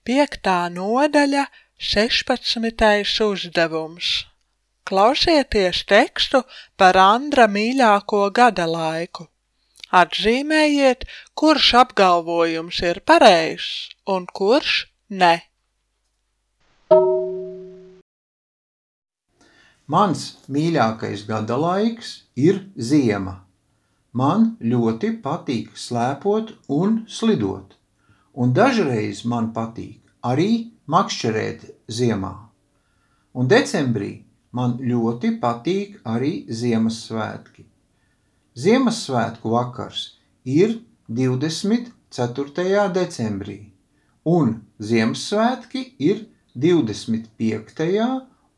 5. nodaļa, 16. uzdevums. Klausieties tekstu par Andra mīļāko gada laiku. Atzīmējiet, kurš apgalvojums ir pareizs un kurš ne. Mans mīļākais gada laiks ir ziema. Man ļoti patīk slēpot un slidot, un dažreiz man patīk arī makšķerēt ziemā. Un decembrī man ļoti patīk arī Ziemassvētki. Ziemassvētku vakars ir 24. decembrī, un Ziemassvētki ir 25.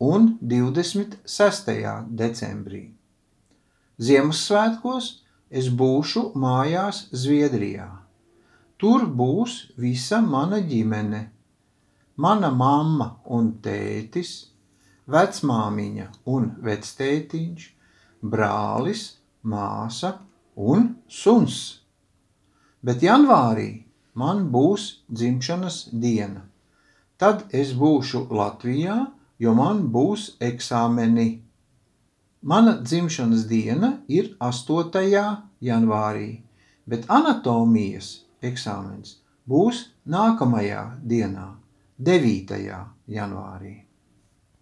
un 26. decembrī. Ziemassvētkos es būšu mājās Zviedrijā. Tur būs visa mana ģimene, mana mamma un tētis, vecmāmiņa un vectētiņš, brālis, māsa un suns. Bet janvārī man būs dzimšanas diena. Tad es būšu Latvijā, jo man būs eksāmeni. Mana dzimšanas diena ir 8. janvārī, bet anatomijas eksāmens būs nākamajā dienā, 9. janvārī.